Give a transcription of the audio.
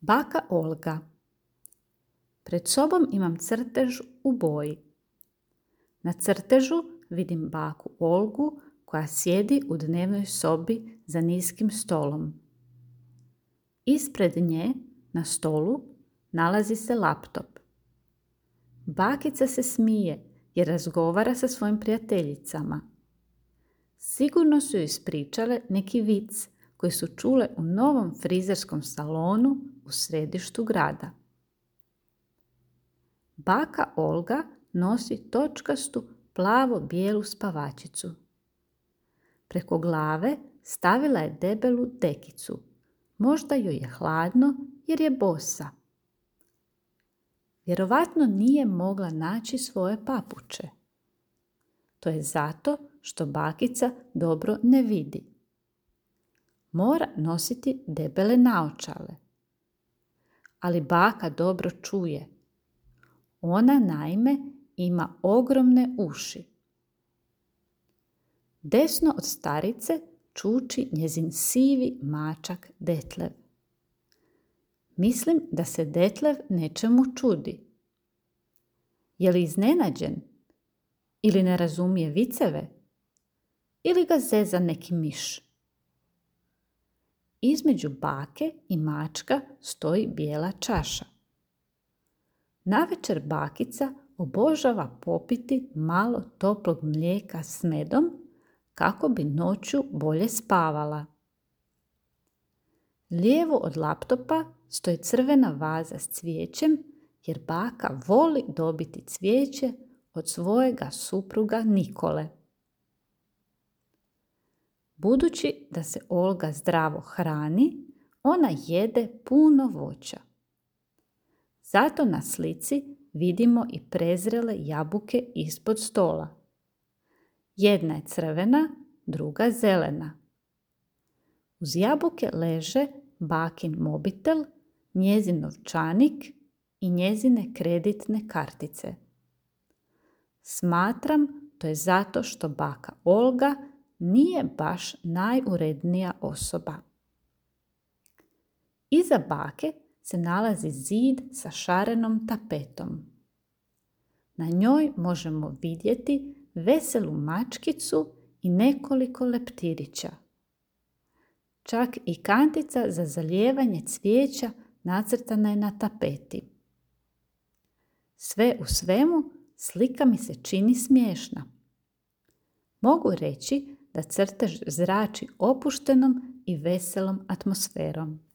Baka Olga. Pred sobom imam crtež u boji. Na crtežu vidim baku Olgu koja sjedi u dnevnoj sobi za niskim stolom. Ispred nje na stolu nalazi se laptop. Bakica se smije jer razgovara sa svojim prijateljicama. Sigurno su joj ispričale neki vic koji su čule u novom frizerskom salonu u središtu grada. Baka Olga nosi točkastu plavo-bijelu spavačicu. Preko glave stavila je debelu dekicu. Možda joj je hladno jer je bosa. Vjerovatno nije mogla naći svoje papuče. To je zato što bakica dobro ne vidi. Mora nositi debele naočale. Ali baka dobro čuje. Ona naime ima ogromne uši. Desno od starice čuči njezin sivi mačak Detlev. Mislim da se Detlev nečemu čudi. Je li iznenađen? Ili ne razumije viceve? Ili ga zeza neki miš? Između bake i mačka stoji bijela čaša. Navečer bakica obožava popiti malo toplog mlijeka s medom kako bi noću bolje spavala. Lijevo od laptopa stoji crvena vaza s cvijećem jer baka voli dobiti cvijeće od svojega supruga Nikole. Budući da se Olga zdravo hrani, ona jede puno voća. Zato na slici vidimo i prezrele jabuke ispod stola. Jedna je crvena, druga zelena. Uz jabuke leže bakin mobitel, njezin novčanik i njezine kreditne kartice. Smatram to je zato što baka Olga nije baš najurednija osoba. Iza bake se nalazi zid sa šarenom tapetom. Na njoj možemo vidjeti veselu mačkicu i nekoliko leptirića. Čak i kantica za zalijevanje cvijeća nacrtana je na tapeti. Sve u svemu slika mi se čini smiješna. Mogu reći da crtež zrači opuštenom i veselom atmosferom.